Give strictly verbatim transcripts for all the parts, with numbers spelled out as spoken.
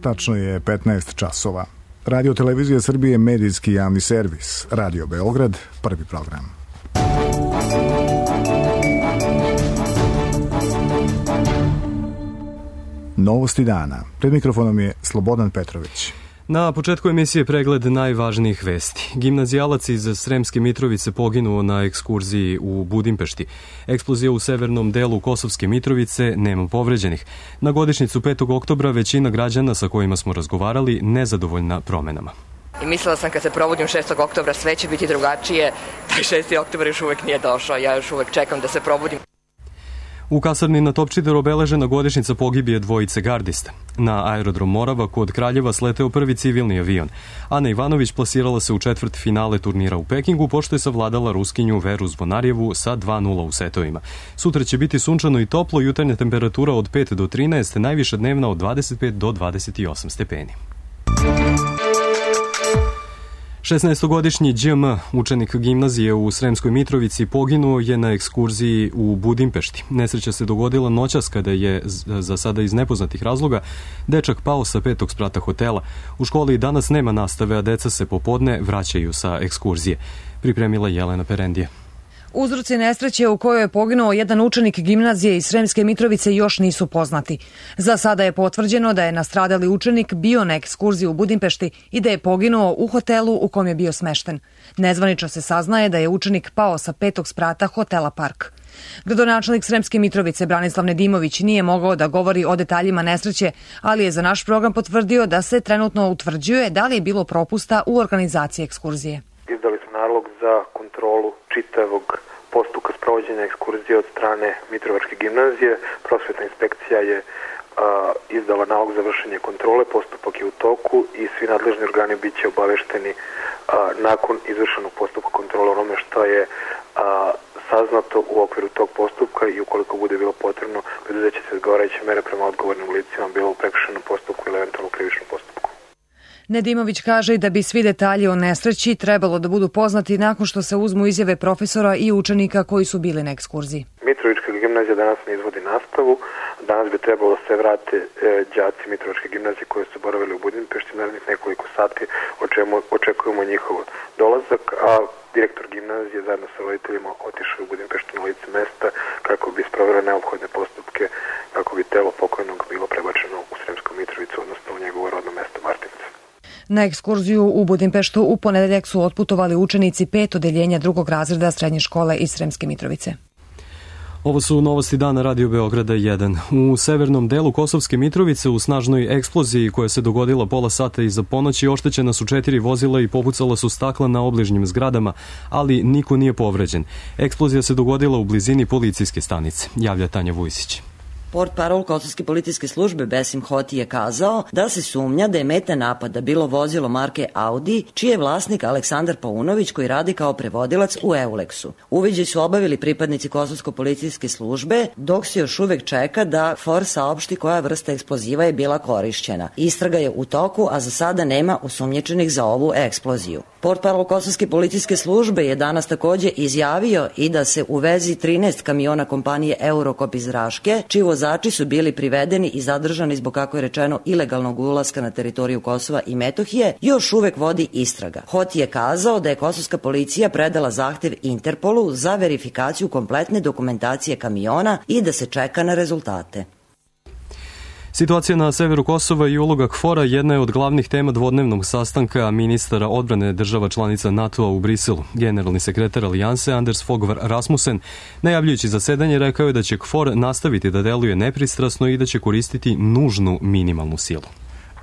Tačno je petnaest časova. Radio Televizija Srbije, medijski javni servis. Radio Beograd, prvi program. Novosti dana. Pred mikrofonom je Slobodan Petrović. Na početku emisije pregled najvažnijih vesti. Gimnazijalac iz Sremske Mitrovice poginuo na ekskurziji u Budimpešti. Eksplozija u severnom delu Kosovske Mitrovice, nema povređenih. Na godišnjicu petog oktobra većina građana sa kojima smo razgovarali nezadovoljna promenama. I mislila sam kad se probudim šestog oktobra sve će biti drugačije. Taj šesti oktobar još uvek nije došao. Ja još uvek čekam da se probudim. U kasarni na Topčideru obeležena godišnjica pogibije dvojice gardista. Na aerodrom Morava kod Kraljeva sleteo prvi civilni avion. Ana Ivanović plasirala se u četvrt finale turnira u Pekingu, pošto je savladala Ruskinju Veru Zvonarjevu sa dva nula u setovima. Sutra će biti sunčano i toplo, jutarnja temperatura od pet do trinaest, najviša dnevna od dvadeset pet do dvadeset osam stepeni. šesnaestogodišnji Đ M, učenik gimnazije u Sremskoj Mitrovici, poginuo je na ekskurziji u Budimpešti. Nesreća se dogodila noćas kada je, za sada iz nepoznatih razloga, dečak pao sa petog sprata hotela. U školi danas nema nastave, a deca se popodne vraćaju sa ekskurzije. Pripremila Jelena Perendija. Uzroci nesreće u kojoj je poginuo jedan učenik gimnazije iz Sremske Mitrovice još nisu poznati. Za sada je potvrđeno da je nastradali učenik bio na ekskurziji u Budimpešti i da je poginuo u hotelu u kom je bio smešten. Nezvanično se saznaje da je učenik pao sa petog sprata hotela Park. Gradonačelnik Sremske Mitrovice Branislav Nedimović nije mogao da govori o detaljima nesreće, ali je za naš program potvrdio da se trenutno utvrđuje da li je bilo propusta u organizaciji ekskurzije. Izdali smo nalog za kontrolu čitavog postupka sprovođenja ekskurzije od strane Mitrovačke gimnazije. Prosvetna inspekcija je a, izdala nalog za vršenje kontrole, postupak je u toku i svi nadležni organi bit će obavešteni a, nakon izvršenog postupka kontrole onome što je a, saznato u okviru tog postupka i ukoliko bude bilo potrebno, preduzeće se odgovarajuće mere prema odgovornim licima, bilo u prekršajnom postupku ili eventualno krivičnom postupku. Nedimović kaže i da bi svi detalji o nesreći trebalo da budu poznati nakon što se uzmu izjave profesora i učenika koji su bili na ekskurziji. Mitrovička gimnazija danas ne izvodi nastavu. Danas bi trebalo da se vrate e, đaci Mitrovičke gimnazije koji su boravili u Budimpešti. Narednih nekoliko sati o čemu očekujemo njihov dolazak, a direktor gimnazije zajedno sa roditeljima otišao u Budimpeštu na lice mesta kako bi sprovela neophodne postupke, kako bi telo pokojnog bilo prebačeno u Sremsku Mitrovicu, odnosno u njegovo rodno mesto Martince. Na ekskurziju u Budimpeštu u ponedeljak su otputovali učenici pet odeljenja drugog razreda srednje škole iz Sremske Mitrovice. Ovo su novosti dana Radio Beograda jedan. U severnom delu Kosovske Mitrovice u snažnoj eksploziji koja se dogodila pola sata iza ponoći oštećena su četiri vozila i popucala su stakla na obližnjim zgradama, ali niko nije povređen. Eksplozija se dogodila u blizini policijske stanice, javlja Tanja Vujsić. Portparol Kosovske policijske službe Besim Hoti je kazao da se sumnja da je meta napada bilo vozilo marke Audi, čiji je vlasnik Aleksandar Paunović koji radi kao prevodilac u Euleksu. Uviđaj su obavili pripadnici Kosovske policijske službe, dok se još uvek čeka da F O R saopšti koja vrsta eksploziva je bila korišćena. Istraga je u toku, a za sada nema osumnjičenih za ovu eksploziju. Portparol Kosovske policijske službe je danas takođe izjavio i da se u vezi trinaest kamiona kompanije Eurokop iz Raške, čiji vozači su bili privedeni i zadržani zbog, kako je rečeno, ilegalnog ulaska na teritoriju Kosova i Metohije, još uvek vodi istraga. Hoti je kazao da je kosovska policija predala zahtev Interpolu za verifikaciju kompletne dokumentacije kamiona i da se čeka na rezultate. Situacija na severu Kosova i uloga K F O R-a jedna je od glavnih tema dvodnevnog sastanka ministara odbrane država članica NATO-a u Briselu. Generalni sekretar Alijanse Anders Fogh Rasmussen, najavljujući zasedanje, rekao je da će K F O R nastaviti da deluje nepristrasno i da će koristiti nužnu minimalnu silu.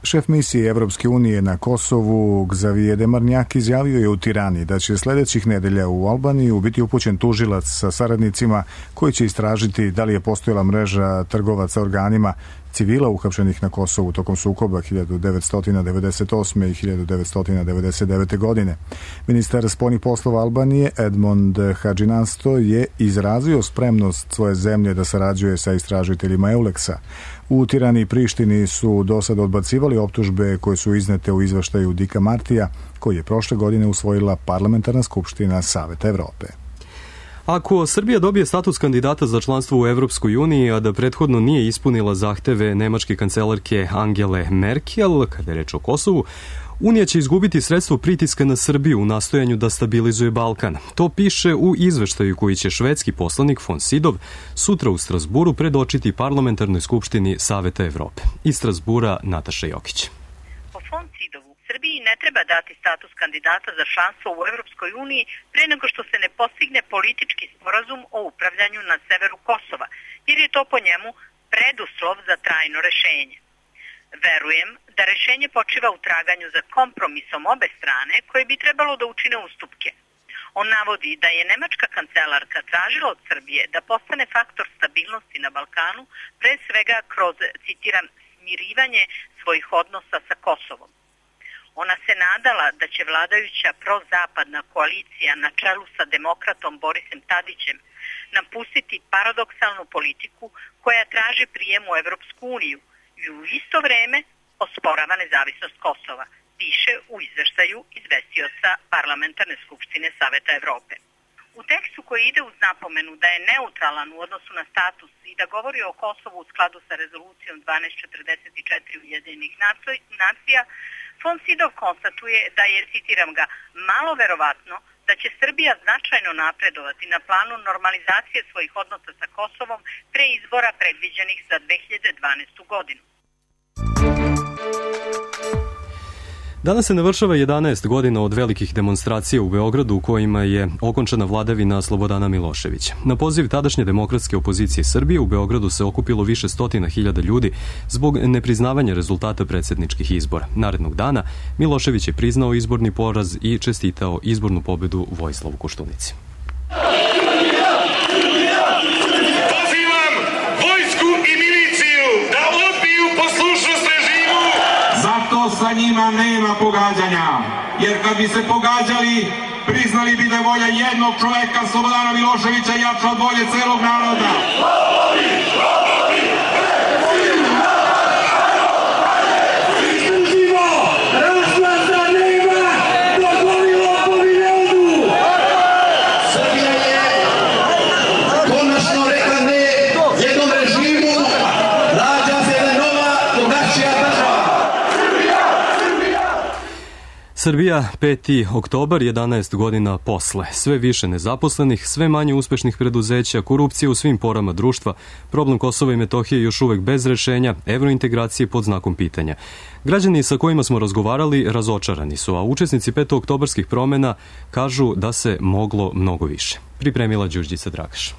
Šef misije Evropske unije na Kosovu, Xavier Demarnjak, izjavio je u Tirani da će sledećih nedelja u Albaniju biti upućen tužilac sa saradnicima koji će istražiti da li je postojala mreža trgovaca organima civila uhapšenih na Kosovu tokom sukoba hiljadu devetsto devedeset osme. i hiljadu devetsto devedeset devete. godine. Ministar spoljnih poslova Albanije Edmond Hadžinasto je izrazio spremnost svoje zemlje da sarađuje sa istražiteljima Euleksa. U Tirani i Prištini su do sada odbacivali optužbe koje su iznete u izveštaju Dika Martija, koji je prošle godine usvojila Parlamentarna skupština Saveta Evrope. Ako Srbija dobije status kandidata za članstvo u Evropskoj uniji, a da prethodno nije ispunila zahteve nemačke kancelarke Angele Merkel, kada je reč o Kosovu, Unija će izgubiti sredstvo pritiska na Srbiju u nastojanju da stabilizuje Balkan. To piše u izveštaju koji će švedski poslanik von Sydow sutra u Strasburu predočiti parlamentarnoj skupštini Saveta Evrope. Iz Strasbura Nataša Jokić. Po von Sydowu Srbiji ne treba dati status kandidata za članstvo u Evropskoj uniji pre nego što se ne postigne politički sporazum o upravljanju na severu Kosova, jer je to po njemu preduslov za trajno rešenje. Verujem da rešenje počiva u traganju za kompromisom obe strane koje bi trebalo da učine ustupke. On navodi da je nemačka kancelarka tražila od Srbije da postane faktor stabilnosti na Balkanu, pre svega kroz, citiram, smirivanje svojih odnosa sa Kosovom. Ona se nadala da će vladajuća prozapadna koalicija na čelu sa demokratom Borisem Tadićem napustiti paradoksalnu politiku koja traži prijem u Evropsku uniju i u isto vreme osporava nezavisnost Kosova, piše u izveštaju izvestioca Parlamentarne skupštine Saveta Evrope. U tekstu koji ide uz napomenu da je neutralan u odnosu na status i da govori o Kosovu u skladu sa rezolucijom dvanaest četrdeset četiri Ujedinjenih nacija, von Sydow konstatuje da je, citiram ga, malo verovatno da će Srbija značajno napredovati na planu normalizacije svojih odnosa sa Kosovom pre izbora predviđenih za dve hiljade dvanaestu godinu. Danas se navršava jedanaest godina od velikih demonstracija u Beogradu u kojima je okončana vladavina Slobodana Miloševića. Na poziv tadašnje demokratske opozicije Srbije u Beogradu se okupilo više stotina hiljada ljudi zbog nepriznavanja rezultata predsjedničkih izbora. Narednog dana Milošević je priznao izborni poraz i čestitao izbornu pobedu Vojislavu Koštunici. Pozivam vojsku i miliciju da odbiju poslušnost režimu. Zato sa njima nema pogađanja, jer kad bi se pogađali, priznali bi da je volja jednog čoveka, Slobodana Miloševića, jača od volje celog naroda. Srbija, peti oktobar, jedanaest godina posle. Sve više nezaposlenih, sve manje uspešnih preduzeća, korupcija u svim porama društva, problem Kosova i Metohije još uvek bez rešenja, evrointegracije pod znakom pitanja. Građani sa kojima smo razgovarali razočarani su, a učesnici petooktobarskih promena kažu da se moglo mnogo više. Pripremila Đurđica Dragaš.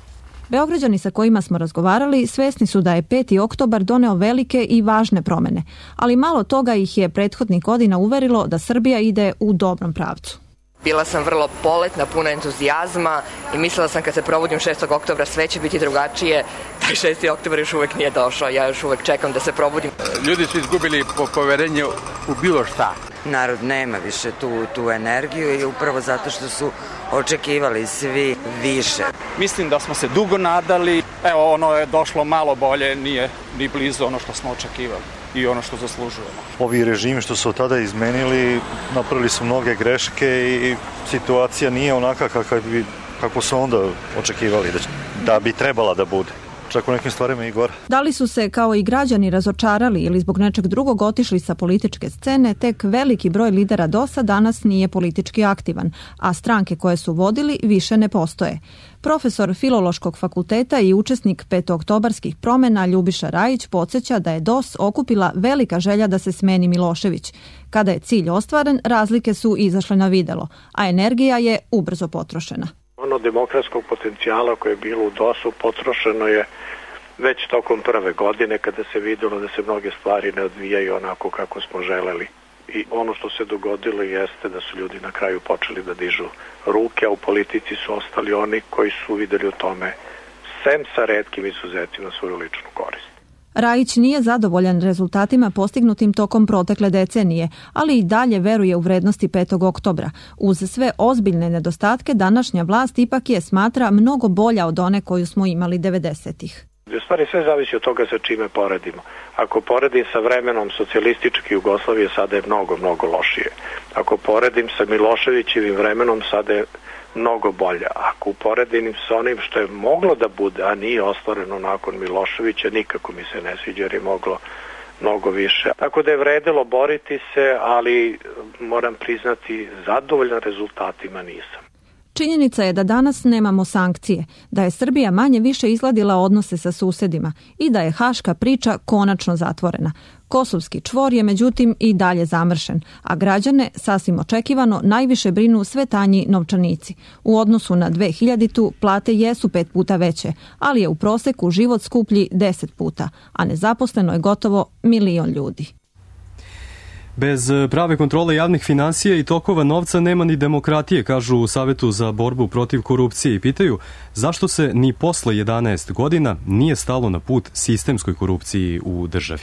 Beograđani sa kojima smo razgovarali svesni su da je peti oktobar doneo velike i važne promene, ali malo toga ih je prethodnih godina uverilo da Srbija ide u dobrom pravcu. Bila sam vrlo poletna, puna entuzijazma i mislila sam kad se probudim šestog oktobra sve će biti drugačije. Taj šesti oktobar još uvek nije došao, ja još uvek čekam da se probudim. Ljudi su izgubili poverenje u bilo šta. Narod nema više tu, tu energiju i upravo zato što su očekivali svi više. Mislim da smo se dugo nadali, evo ono je došlo malo bolje, nije ni blizu ono što smo očekivali i ono što zaslužujemo. Ovi režimi što su od tada izmenili, napravili su mnoge greške i situacija nije onaka kako, bi, kako su onda očekivali da, da bi trebala da bude. Čak u nekim stvarima i gore. Da li su se kao i građani razočarali ili zbog nečeg drugog otišli sa političke scene, tek veliki broj lidera D O S-a danas nije politički aktivan, a stranke koje su vodili više ne postoje. Profesor Filološkog fakulteta i učesnik petooktobarskih promena Ljubiša Rajić podsjeća da je D O S okupila velika želja da se smeni Milošević. Kada je cilj ostvaren, razlike su izašle na videlo, a energija je ubrzo potrošena. Ono demokratskog potencijala koje je bilo u D O S-u potrošeno je već tokom prve godine kada se videlo da se mnoge stvari ne odvijaju onako kako smo želeli. I ono što se dogodilo jeste da su ljudi na kraju počeli da dižu ruke, a u politici su ostali oni koji su videli u tome, sem sa retkim izuzetima, svoju ličnu korist. Rajić nije zadovoljan rezultatima postignutim tokom protekle decenije, ali i dalje veruje u vrednosti petog oktobra. Uz sve ozbiljne nedostatke, današnja vlast ipak je, smatra, mnogo bolja od one koju smo imali devedesetih. U stvari sve zavisi od toga sa čime poredimo. Ako poredim sa vremenom socijalističke Jugoslavije, sada je mnogo, mnogo lošije. Ako poredim sa Miloševićevim vremenom, sada je mnogo bolja. Ako uporedim sa onim što je moglo da bude, a nije ostvareno nakon Miloševića, nikako mi se ne sviđa jer je moglo mnogo više. Tako da je vredelo boriti se, ali moram priznati, zadovoljan rezultatima nisam. Činjenica je da danas nemamo sankcije, da je Srbija manje više izgladila odnose sa susedima i da je haška priča konačno zatvorena. Kosovski čvor je međutim i dalje zamršen, a građane, sasvim očekivano, najviše brinu sve tanji novčanici. U odnosu na dve hiljaditu plate jesu pet puta veće, ali je u proseku život skuplji deset puta, a nezaposleno je gotovo milion ljudi. Bez prave kontrole javnih finansija i tokova novca nema ni demokratije, kažu u Savetu za borbu protiv korupcije i pitaju zašto se ni posle jedanaest godina nije stalo na put sistemskoj korupciji u državi.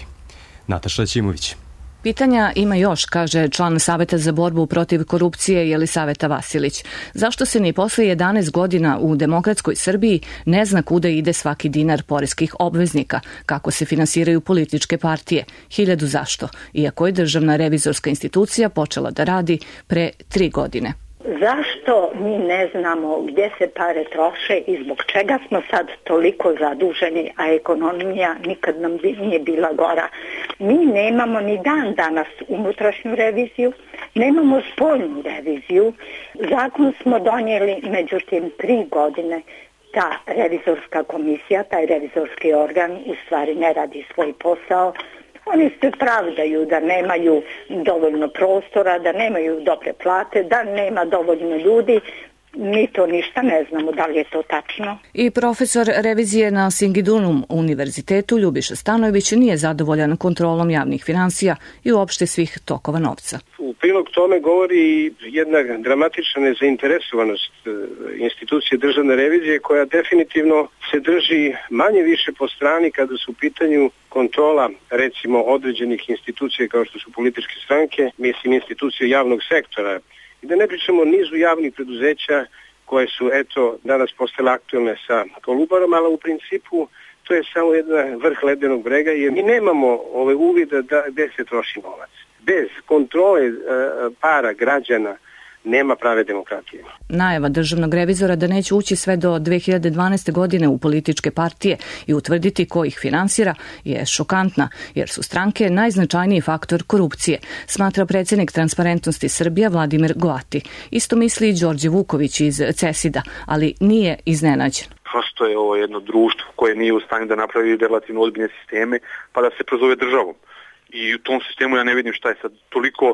Nataša Ćimović. Pitanja ima još, kaže član Saveta za borbu protiv korupcije Jelisaveta Vasilić. Zašto se ni posle jedanaest godina u demokratskoj Srbiji ne zna kuda ide svaki dinar poreskih obveznika, kako se finansiraju političke partije? Hiljadu zašto, iako je Državna revizorska institucija počela da radi pre tri godine. Zašto mi ne znamo gdje se pare troše i zbog čega smo sad toliko zaduženi, a ekonomija nikad nam nije bila gora? Mi nemamo ni dan danas unutrašnju reviziju, nemamo spoljnu reviziju. Zakon smo donijeli, međutim, tri godine ta revizorska komisija, taj revizorski organ u stvari ne radi svoj posao. Oni se pravdaju da nemaju dovoljno prostora, da nemaju dobre plate, da nema dovoljno ljudi. Mi to ništa ne znamo, da li je to tačno. I profesor revizije na Singidunum univerzitetu Ljubiša Stanojević nije zadovoljan kontrolom javnih finansija i uopšte svih tokova novca. U prilog tome govori jedna dramatična nezainteresovanost institucije državne revizije koja definitivno se drži manje više po strani kada su u pitanju kontrola recimo određenih institucija kao što su političke stranke, mislim institucije javnog sektora. I da ne pričamo o nizu javnih preduzeća koje su eto danas postale aktualne sa Kolubarom, ali u principu to je samo jedna vrh ledenog brega jer mi nemamo ove uvida da gde se troši novac. Bez kontrole e, para građana nema prave demokratije. Najava državnog revizora da neće ući sve do dve hiljade dvanaeste. godine u političke partije i utvrditi ko ih finansira je šokantna, jer su stranke najznačajniji faktor korupcije, smatra predsjednik Transparentnosti Srbija Vladimir Goati. Isto misli i Đorđe Vuković iz CESID-a, ali nije iznenađen. Prosto je ovo jedno društvo koje nije u stanju da napravi relativno ozbiljne sisteme pa da se prozove državom. I u tom sistemu ja ne vidim šta je sad toliko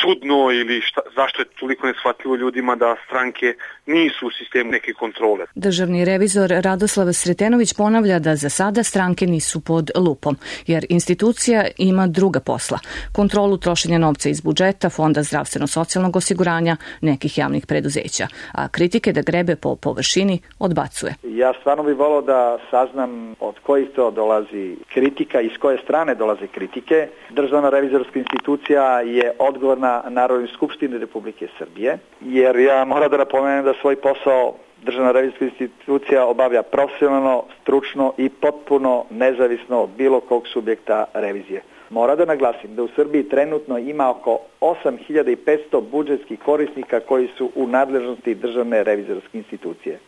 čudno ili šta, zašto je toliko neshvatljivo ljudima da stranke nisu u sistemu neke kontrole. Državni revizor Radoslav Sretenović ponavlja da za sada stranke nisu pod lupom, jer institucija ima druga posla. Kontrolu trošenja novca iz budžeta, Fonda zdravstveno-socijalnog osiguranja, nekih javnih preduzeća, a kritike da grebe po površini odbacuje. Ja stvarno bih volao da saznam od kojih to dolazi kritika i s koje strane dolaze kritike. Državna revizorska institucija je odgovorna Narodnoj skupštini Republike Srbije, jer ja moram da napomenem da svoj posao Državna revizorska institucija obavlja profesionalno, stručno i potpuno nezavisno od bilo kog subjekta revizije. Moram da naglasim da u Srbiji trenutno ima oko osam hiljada petsto budžetskih korisnika koji su u nadležnosti Državne revizorske institucije.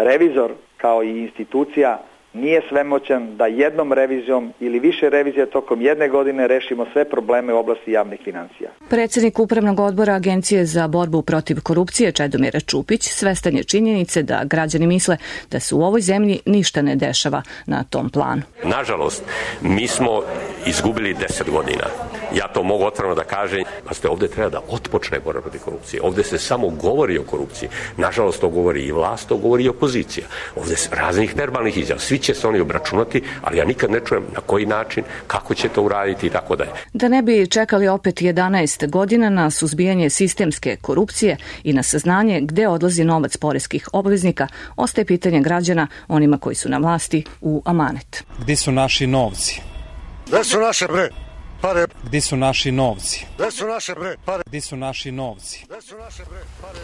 Revizor kao i institucija nije svemoćan da jednom revizijom ili više revizija tokom jedne godine rešimo sve probleme u oblasti javnih finansija. Predsjednik Upravnog odbora Agencije za borbu protiv korupcije Čedomir Čupić svestan je činjenice da građani misle da se u ovoj zemlji ništa ne dešava na tom planu. Nažalost, mi smo izgubili deset godina. Ja to mogu otvoreno da kažem, pa ste ovdje treba da otpočne borba protiv korupcije. Ovdje se samo govori o korupciji. Nažalost, to govori i vlast, to govori i opozicija. Ovdje se raznih verbalnih izjava. Svi će se oni obračunati, ali ja nikad ne čujem na koji način, kako će to uraditi i tako dalje. Da ne bi čekali opet jedanaest godina na suzbijanje sistemske korupcije i na saznanje gde odlazi novac poreskih obveznika, ostaje pitanje građana onima koji su na vlasti u amanet. Gde su naši novci? Gde su naše bre? Pare. Gde su naši novci? Gde su naše bre? Pare. Gde su naši novci? Gde su naše bre? Pare.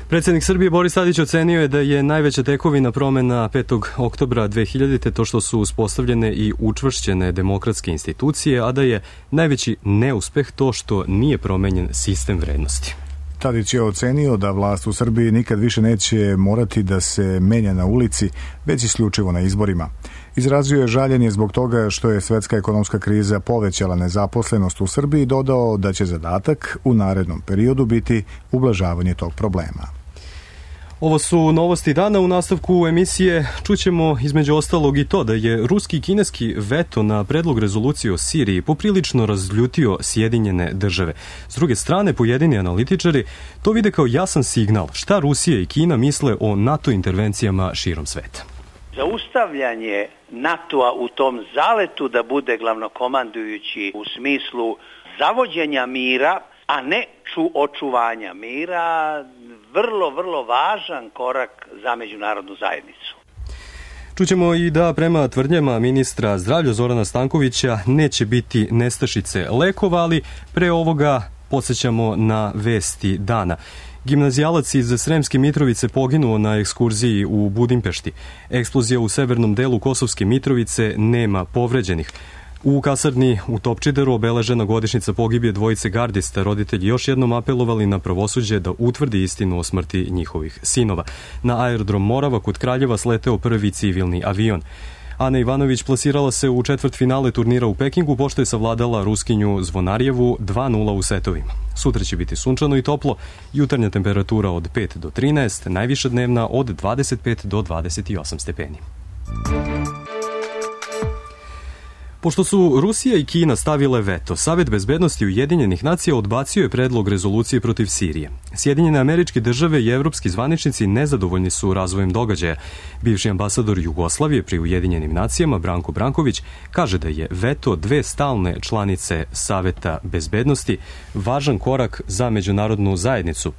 Predsjednik Srbije Boris Tadić ocenio je da je najveća tekovina promena petog oktobra dve hiljadite. to što su uspostavljene i učvršćene demokratske institucije, a da je najveći neuspeh to što nije promenjen sistem vrednosti. Tadić je ocenio da vlast u Srbiji nikad više neće morati da se menja na ulici, već isključivo na izborima. Izrazio je žaljenje zbog toga što je svetska ekonomska kriza povećala nezaposlenost u Srbiji i dodao da će zadatak u narednom periodu biti ublažavanje tog problema. Ovo su novosti dana. U nastavku emisije čućemo između ostalog i to da je ruski i kineski veto na predlog rezolucije o Siriji poprilično razljutio Sjedinjene države. S druge strane, pojedini analitičari to vide kao jasan signal šta Rusija i Kina misle o NATO intervencijama širom sveta. Zaustavljanje NATO-a u tom zaletu da bude glavnokomandujući u smislu zavođenja mira, a ne ču očuvanja mira, vrlo, vrlo važan korak za međunarodnu zajednicu. Čućemo i da prema tvrdnjama ministra zdravlja Zorana Stankovića neće biti nestašice lekova, ali pre ovoga podsjećamo na vesti dana. Gimnazijalac iz Sremske Mitrovice poginuo na ekskurziji u Budimpešti. Eksplozija u severnom delu Kosovske Mitrovice, nema povređenih. U kasarni u Topčideru obeležena godišnjica pogibije dvojice gardista. Roditelji još jednom apelovali na pravosuđe da utvrdi istinu o smrti njihovih sinova. Na aerodrom Morava kod Kraljeva sleteo prvi civilni avion. Ana Ivanović plasirala se u četvrtfinale turnira u Pekingu, pošto je savladala Ruskinju Zvonarjevu dva nula u setovima. Sutra će biti sunčano i toplo, jutarnja temperatura od pet do trinaest, najviša dnevna od dvadeset pet do dvadeset osam stepeni. Pošto su Rusija i Kina stavile veto, Savet bezbednosti Ujedinjenih nacija odbacio je predlog rezolucije protiv Sirije. Sjedinjene Američke države i evropski zvaničnici nezadovoljni su razvojem događaja. Bivši ambasador Jugoslavije pri Ujedinjenim nacijama Branko Branković kaže da je veto dve stalne članice Saveta bezbednosti važan korak za međunarodnu zajednicu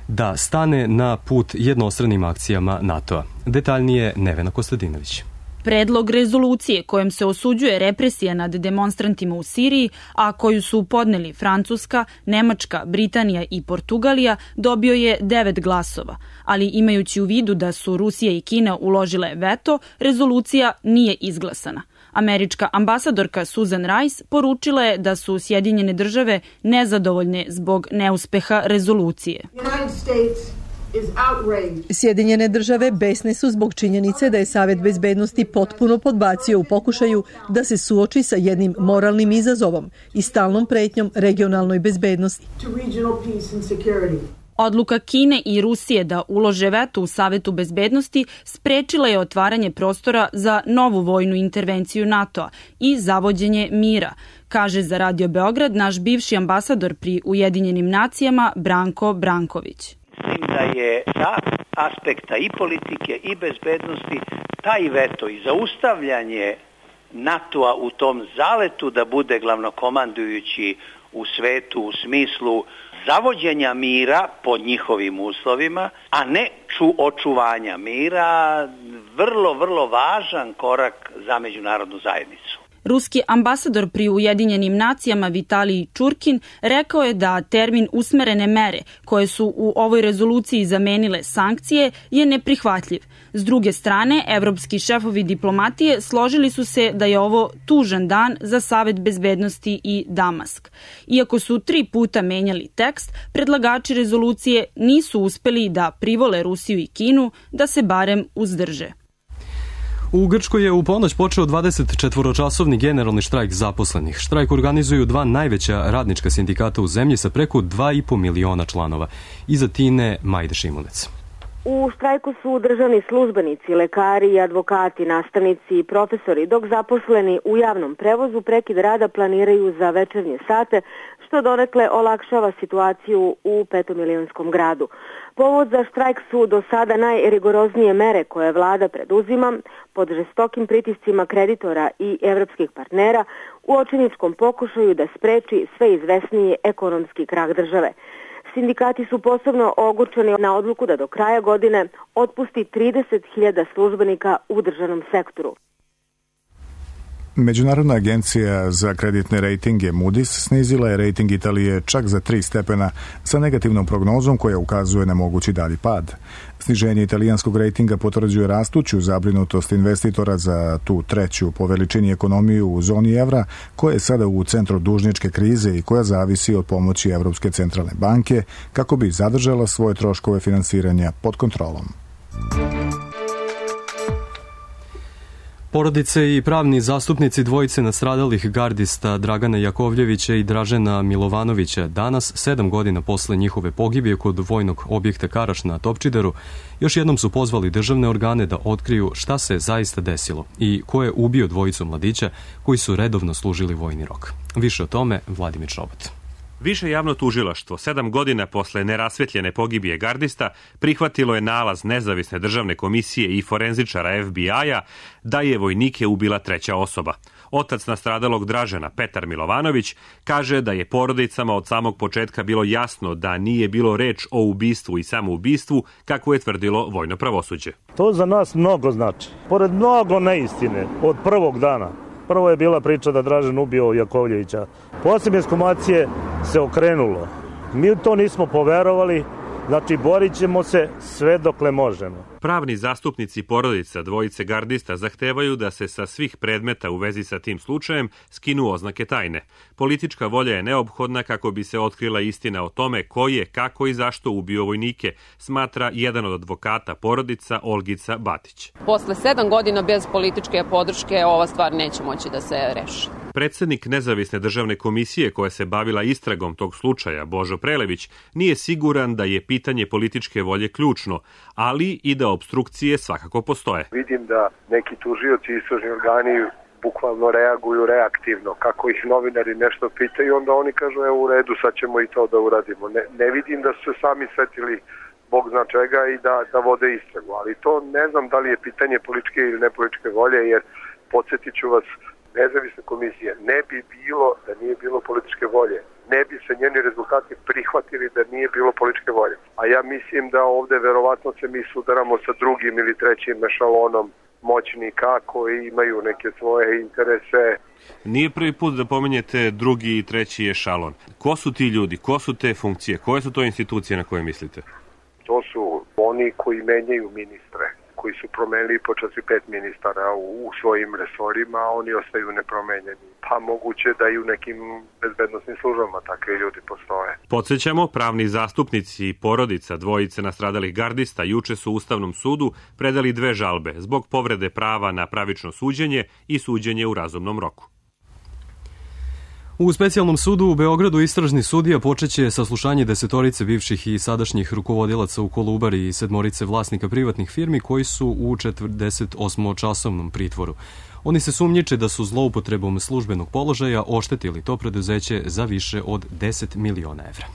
da stane na put jednostranim akcijama NATO-a. Detaljnije Nevena Kostadinović. Predlog rezolucije kojom se osuđuje represija nad demonstrantima u Siriji, a koju su podneli Francuska, Nemačka, Britanija i Portugalija, dobio je devet glasova. Ali imajući u vidu da su Rusija i Kina uložile veto, rezolucija nije izglasana. Američka ambasadorka Susan Rice poručila je da su Sjedinjene države nezadovoljne zbog neuspeha rezolucije. Sjedinjene države besne su zbog činjenice da je Savet bezbednosti potpuno podbacio u pokušaju da se suoči sa jednim moralnim izazovom i stalnom pretnjom regionalnoj bezbednosti. Odluka Kine i Rusije da ulože veto u Savetu bezbednosti sprečila je otvaranje prostora za novu vojnu intervenciju NATO-a i zavođenje mira, kaže za Radio Beograd naš bivši ambasador pri Ujedinjenim nacijama Branko Branković. Mislim da je sa aspekta i politike i bezbednosti taj veto i zaustavljanje NATO-a u tom zaletu da bude glavnokomandujući u svetu u smislu zavođenja mira pod njihovim uslovima, a ne ču očuvanja mira, vrlo, vrlo važan korak za međunarodnu zajednicu. Ruski ambasador pri Ujedinjenim nacijama Vitalij Čurkin rekao je da termin usmerene mere, koje su u ovoj rezoluciji zamenile sankcije, je neprihvatljiv. S druge strane, evropski šefovi diplomatije složili su se da je ovo tužan dan za Savet bezbednosti i Damask. Iako su tri puta menjali tekst, predlagači rezolucije nisu uspeli da privole Rusiju i Kinu da se barem uzdrže. U Grčkoj je u ponoć počeo dvadesetčetvoročasovni generalni štrajk zaposlenih. Štrajk organizuju dva najveća radnička sindikata u zemlji sa preko dva i po miliona članova. Iza Tine Majde Šimunec. U štrajku su državni službenici, lekari i advokati, nastavnici i profesori, dok zaposleni u javnom prevozu prekid rada planiraju za večernje sate, što donekle olakšava situaciju u petomilionskom gradu. Povod za štrajk su do sada najrigoroznije mere koje vlada preduzima pod žestokim pritiscima kreditora i evropskih partnera u očajničkom pokušaju da spreči sve izvesniji ekonomski krah države. Sindikati su posebno ogorčeni na odluku da do kraja godine otpusti trideset hiljada službenika u državnom sektoru. Međunarodna agencija za kreditne rejtinge Moody's snizila je rejting Italije čak za tri stepena sa negativnom prognozom koja ukazuje na mogući dalji pad. Sniženje italijanskog rejtinga potvrđuje rastuću zabrinutost investitora za tu treću po veličini ekonomiju u zoni evra, koja je sada u centru dužničke krize i koja zavisi od pomoći Evropske centralne banke kako bi zadržala svoje troškove finansiranja pod kontrolom. Porodice i pravni zastupnici dvojice nastradalih gardista Dragana Jakovljevića i Dražena Milovanovića danas, sedam godina posle njihove pogibije kod vojnog objekta Karaš na Topčideru, još jednom su pozvali državne organe da otkriju šta se zaista desilo i ko je ubio dvojicu mladića koji su redovno služili vojni rok. Više o tome Vladimir Čobot. Više javno tužilaštvo, sedam godina posle nerasvetljene pogibije gardista, prihvatilo je nalaz nezavisne državne komisije i forenzičara F B I-a da je vojnike ubila treća osoba. Otac nastradalog Dražena, Petar Milovanović, kaže da je porodicama od samog početka bilo jasno da nije bilo reč o ubistvu i samoubistvu, kako je tvrdilo vojno pravosuđe. To za nas mnogo znači. Pored mnogo neistine od prvog dana. Prvo je bila priča da Dražen ubio Jakovljevića. Posle ekshumacije se okrenulo. Mi to nismo poverovali, znači borit ćemo se sve dokle možemo. Pravni zastupnici porodica dvojice gardista zahtevaju da se sa svih predmeta u vezi sa tim slučajem skinu oznake tajne. Politička volja je neophodna kako bi se otkrila istina o tome ko je, kako i zašto ubio vojnike, smatra jedan od advokata porodica Olgica Batić. Posle sedam godina bez političke podrške ova stvar neće moći da se reši. Predsednik nezavisne državne komisije koja se bavila istragom tog slučaja, Božo Prelević, nije siguran da je pitanje političke volje ključno, ali i da opstrukcije svakako postoje. Vidim da neki tužioci i istražni organi bukvalno reaguju reaktivno. Kako ih novinari nešto pitaju, onda oni kažu evo u redu, sad ćemo i to da uradimo. Ne, ne vidim da su se sami setili Bog zna čega i da, da vode istragu. Ali to ne znam da li je pitanje političke ili nepolitičke volje, jer podsjetit ću vas, nezavisne komisije ne bi bilo da nije bilo političke volje. Ne bi se njeni rezultati prihvatili da nije bilo političke volje. A ja mislim da ovde verovatno se mi sudaramo sa drugim ili trećim ešalonom moćnika koji imaju neke svoje interese. Nije prvi put da pomenjete drugi i treći ešalon. Ko su ti ljudi? Ko su te funkcije? Koje su to institucije na koje mislite? To su oni koji menjaju ministre, koji su promenili počas i pet ministara u, u svojim resorima, a oni ostaju nepromenjeni. Pa moguće da i u nekim bezbednostnim službama takve ljudi postoje. Podsjećamo, pravni zastupnici i porodica dvojice nastradalih gardista juče su Ustavnom sudu predali dve žalbe zbog povrede prava na pravično suđenje i suđenje u razumnom roku. U specijalnom sudu u Beogradu istražni sudija počeće saslušanje desetorice bivših i sadašnjih rukovodilaca u Kolubari i sedmorice vlasnika privatnih firmi koji su u četrdeset osmočasovnom pritvoru. Oni se sumnjiče da su zloupotrebom službenog položaja oštetili to preduzeće za više od deset miliona evra.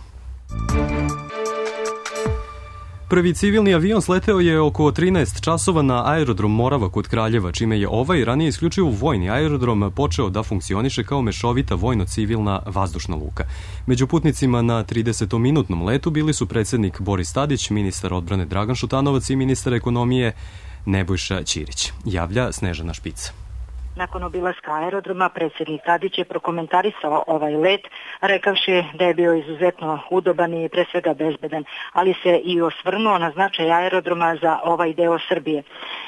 Prvi civilni avion sleteo je oko trinaest časova na aerodrom Morava kod Kraljeva, čime je ovaj ranije isključivo vojni aerodrom počeo da funkcioniše kao mešovita vojno-civilna vazdušna luka. Među putnicima na tridesetominutnom letu bili su predsednik Boris Tadić, ministar odbrane Dragan Šutanovac i ministar ekonomije Nebojša Ćirić. Javlja Snežana Špica. Nakon obilaska aerodroma, predsjednik Tadić je prokomentarisao ovaj let, rekavši da je bio izuzetno udoban i pre svega bezbedan, ali se i osvrnuo na značaj aerodroma za ovaj deo Srbije.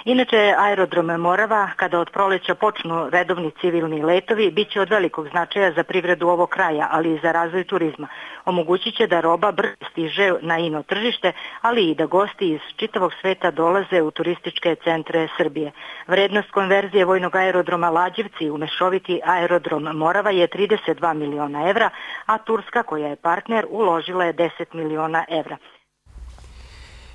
Inače, aerodrom Morava, kada od proleća počnu redovni civilni letovi, bit će od velikog značaja za privredu ovog kraja, ali i za razvoj turizma. Omogućit će da roba brzo stiže na ino tržište, ali i da gosti iz čitavog sveta dolaze u turističke centre Srbije. Vrednost konverzije vojnog aerodroma Lađevci u mešoviti aerodrom Morava je trideset dva miliona evra, a Turska, koja je partner, uložila je deset miliona evra.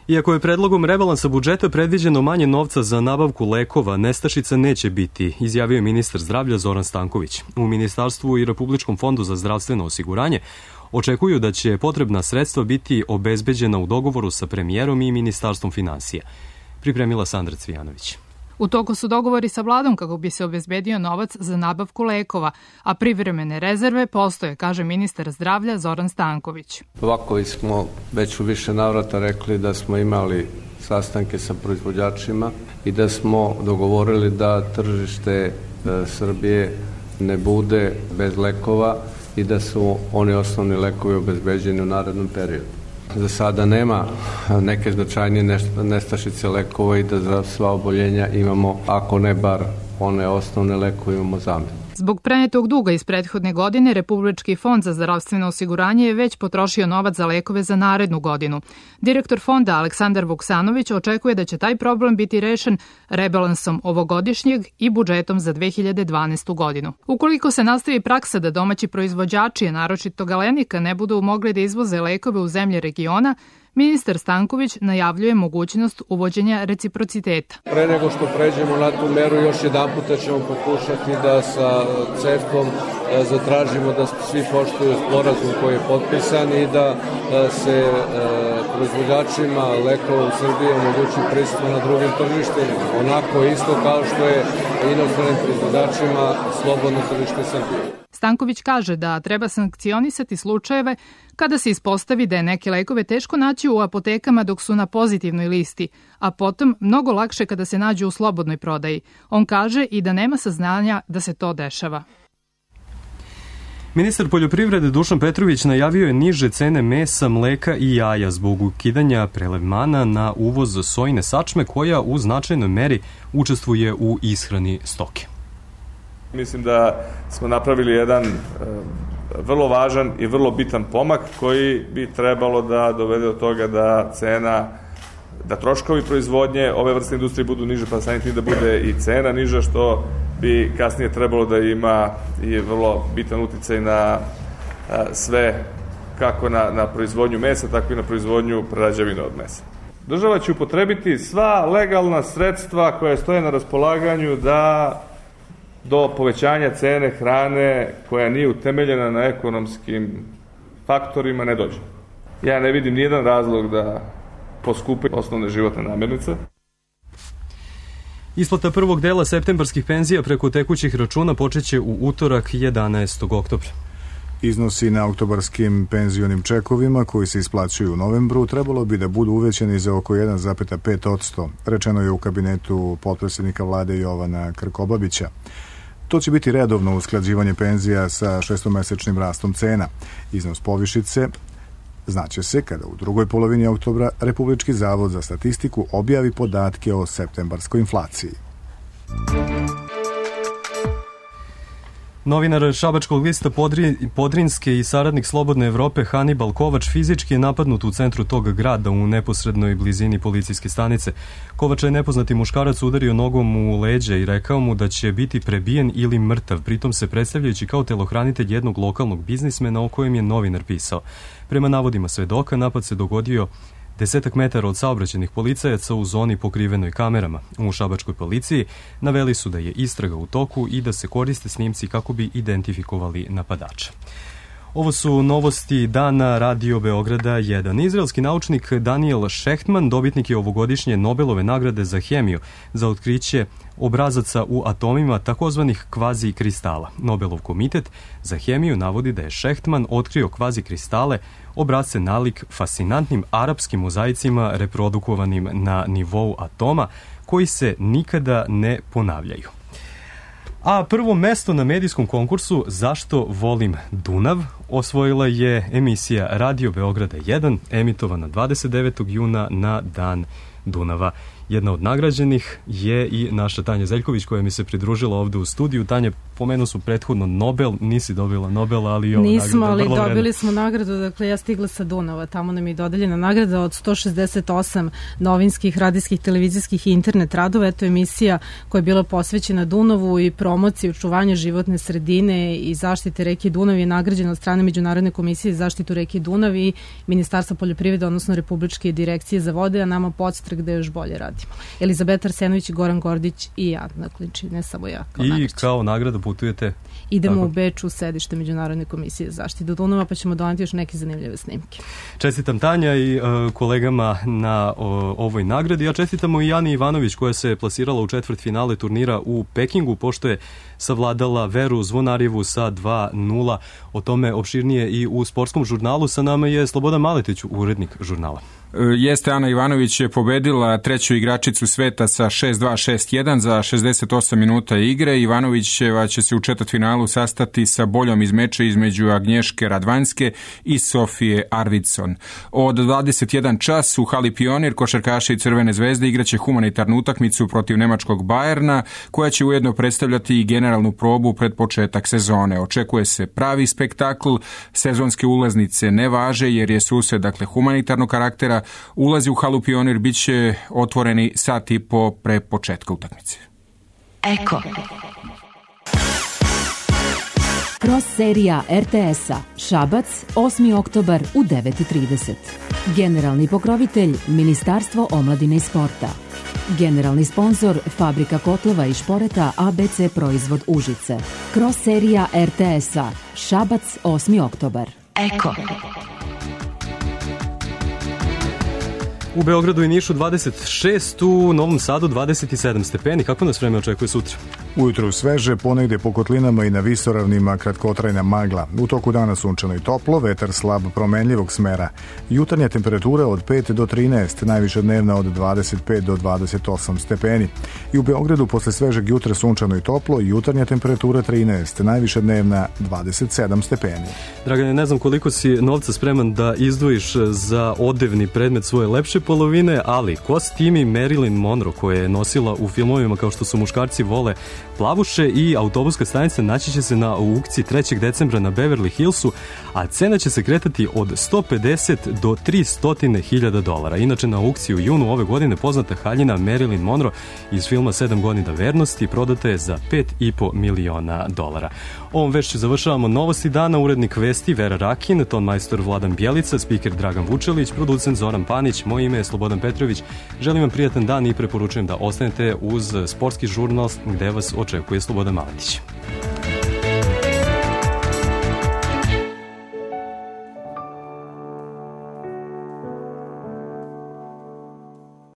Iako je predlogom rebalansa budžeta predviđeno manje novca za nabavku lekova, nestašica neće biti, izjavio je ministar zdravlja Zoran Stanković. U Ministarstvu i Republičkom fondu za zdravstveno osiguranje očekuju da će potrebna sredstva biti obezbeđena u dogovoru sa premijerom i Ministarstvom finansija. Pripremila Sandra Cvijanović. U toku su dogovori sa vladom kako bi se obezbedio novac za nabavku lekova, a privremene rezerve postoje, kaže ministar zdravlja Zoran Stanković. Ovako smo već u više navrata rekli da smo imali sastanke sa proizvođačima i da smo dogovorili da tržište Srbije ne bude bez lekova i da su oni osnovni lekovi obezbeđeni u narednom periodu. Za sada nema neke značajnije nestašice lekova i da za sva oboljenja imamo, ako ne bar one osnovne lekove, imamo zamenu. Zbog prenetog duga iz prethodne godine, Republički fond za zdravstveno osiguranje je već potrošio novac za lekove za narednu godinu. Direktor fonda Aleksandar Vuksanović očekuje da će taj problem biti rešen rebalansom ovogodišnjeg i budžetom za dve hiljade dvanaestu godinu. Ukoliko se nastavi praksa da domaći proizvođači, naročito Galenika, ne budu mogli da izvoze lekove u zemlje regiona, ministar Stanković najavljuje mogućnost uvođenja reciprociteta. Pre nego što pređemo na tu meru, još jedan puta ćemo pokušati da sa C E F T-om zatražimo da svi poštuju sporazum koji je potpisan i da se proizvođačima lekova u Srbiji omogući prisustvo na drugim tržištima. Onako isto kao što je inostranim proizvođačima slobodno tržište Srbije. Stanković kaže da treba sankcionisati slučajeve kada se ispostavi da je neke lekove teško naći u apotekama dok su na pozitivnoj listi, a potom mnogo lakše kada se nađu u slobodnoj prodaji. On kaže i da nema saznanja da se to dešava. Ministar poljoprivrede Dušan Petrović najavio je niže cene mesa, mleka i jaja zbog ukidanja prelevmana na uvoz sojine sačme koja u značajnoj meri učestvuje u ishrani stoke. Mislim da smo napravili jedan e, vrlo važan i vrlo bitan pomak koji bi trebalo da dovede do toga da cena, da troškovi proizvodnje ove vrste industrije budu niže, pa samim tim da bude i cena niža, što bi kasnije trebalo da ima i vrlo bitan uticaj na a, sve, kako na, na proizvodnju mesa, tako i na proizvodnju prerađevina od mesa. Država će upotrebiti sva legalna sredstva koja stoje na raspolaganju da do povećanja cene hrane koja nije utemeljena na ekonomskim faktorima ne dođe. Ja ne vidim nijedan razlog da poskupe osnovne životne namirnice. Isplata prvog dela septembarskih penzija preko tekućih računa počeće u utorak jedanaestog oktobra. Iznosi na oktobarskim penzionim čekovima koji se isplaćuju u novembru trebalo bi da budu uvećani za oko jedan zarez pet posto, rečeno je u kabinetu potpredsjednika vlade Jovana Krkobabića. To će biti redovno usklađivanje penzija sa šestomesečnim rastom cena. Iznos povišice znaće se kada u drugoj polovini oktobra Republički zavod za statistiku objavi podatke o septembarskoj inflaciji. Novinar Šabačkog lista Podri, Podrinske i saradnik Slobodne Evrope Hanibal Kovač fizički je napadnut u centru tog grada u neposrednoj blizini policijske stanice. Kovača je nepoznati muškarac udario nogom u leđa i rekao mu da će biti prebijen ili mrtav, pritom se predstavljajući kao telohranitelj jednog lokalnog biznismena o kojem je novinar pisao. Prema navodima svedoka, napad se dogodio desetak metara od saobraćajnih policajaca u zoni pokrivenoj kamerama. U šabačkoj policiji naveli su da je istraga u toku i da se koriste snimci kako bi identifikovali napadača. Ovo su novosti dana Radio Beograda jedan. Izraelski naučnik Daniel Shechtman dobitnik je ovogodišnje Nobelove nagrade za hemiju za otkriće obrazaca u atomima takozvanih kvazi kristala. Nobelov komitet za hemiju navodi da je Shechtman otkrio kvazi kristale, obrazce nalik fascinantnim arapskim mozaicima reprodukovanim na nivou atoma koji se nikada ne ponavljaju. A prvo mesto na medijskom konkursu Zašto volim Dunav osvojila je emisija Radio Beograda jedan, emitovana dvadeset devetog juna na Dan Dunava. Jedna od nagrađenih je i naša Tanja Zeljković koja mi se pridružila ovde u studiju. Tanja, pomenu su prethodno Nobel, nisi dobila Nobel, ali i ovo nagrada. Nismo, ali dobili vredno. smo nagradu, dakle ja stigla sa Dunava, tamo nam je dodeljena nagrada od sto šezdeset osam novinskih, radijskih, televizijskih i internet radova. Eto emisija koja je bila posvećena Dunavu i promociji očuvanja životne sredine i zaštite reke Dunav je nagrađena od strane Međunarodne komisije za zaštitu reke Dunav i Ministarstva poljoprivrede, odnosno Republičke direkcije za vode, a nama podstrek da još bolje radimo. Elizabeta Arsenović, Goran Gordić i ja, dakle, ne samo ja. Kao I nagrađen. kao nagrada putujete? Idemo Tako. u Beč u sedište Međunarodne komisije za zaštitu Dunava, pa ćemo doneti još neke zanimljive snimke. Čestitam Tanja i uh, kolegama na o, ovoj nagradi, a čestitamo i Jani Ivanović koja se plasirala u četvrt finale turnira u Pekingu, pošto je savladala Veru Zvonarjevu sa dva nula. O tome opširnije i u sportskom žurnalu. Sa nama je Slobodan Maletić, urednik žurnala. Jeste, Ana Ivanović je pobedila treću igračicu sveta sa šest dva šest jedan za šezdeset osam minuta igre. Ivanovićeva će se u četvrtfinalu sastati sa boljom iz meča između Agnješke Radvanjske i Sofije Arvidsson. Od dvadeset jedan čas u hali Pionir košarkaši Crvene zvezde igraće humanitarnu utakmicu protiv nemačkog Bajerna, koja će ujedno predstavljati i generalnu probu pred početak sezone. Očekuje se pravi spektakl, sezonske ulaznice ne važe jer je susret, dakle, humanitarnog karaktera. Ulazi u halu Pionir bit će otvoreni sat i po pre početka utakmice. Eko. Cross serija R T S-a Šabac, osmi oktobar u devet i trideset. Generalni pokrovitelj Ministarstvo omladine i sporta. Generalni sponsor Fabrika kotlova i šporeta A B C Proizvod Užice. Cross serija R T S-a Šabac, osmi oktobar. Eko. U Beogradu i Nišu dvadeset šest, u Novom Sadu dvadeset sedam stepeni. Kako nas vreme očekuje sutra? Ujutru sveže, ponegde po kotlinama i na visoravnima kratkotrajna magla. U toku dana sunčano i toplo, vetar slab promenljivog smera. Jutarnja temperatura od pet do trinaest, najviša dnevna od dvadeset pet do dvadeset osam stepeni. I u Beogradu posle svežeg jutra sunčano i toplo, jutarnja temperatura trinaest, najviša dnevna dvadeset sedam stepeni. Dragane, ne znam koliko si novca spreman da izdvojiš za odevni predmet svoje lepše polovine, ali kostimi Marilyn Monroe koje je nosila u filmovima kao što su Muškarci vole plavuše i Autobuska stanica naći će se na aukciji trećeg decembra na Beverly Hillsu, a cena će se kretati od sto pedeset do tristo hiljada dolara. Inače, na aukciji u junu ove godine poznata haljina Marilyn Monroe iz filma sedam godina vernosti prodata je za pet i po miliona dolara. Ovom vešću završavamo novosti dana, urednik vesti Vera Rakin, ton majstor Vladan Bjelica, spiker Dragan Vučelić, producent Zoran Panić, moje ime je Slobodan Petrović. Želim vam prijatan dan i preporučujem da ostanete uz sportski žurnal gde vas očekuje Slobodan Maletić.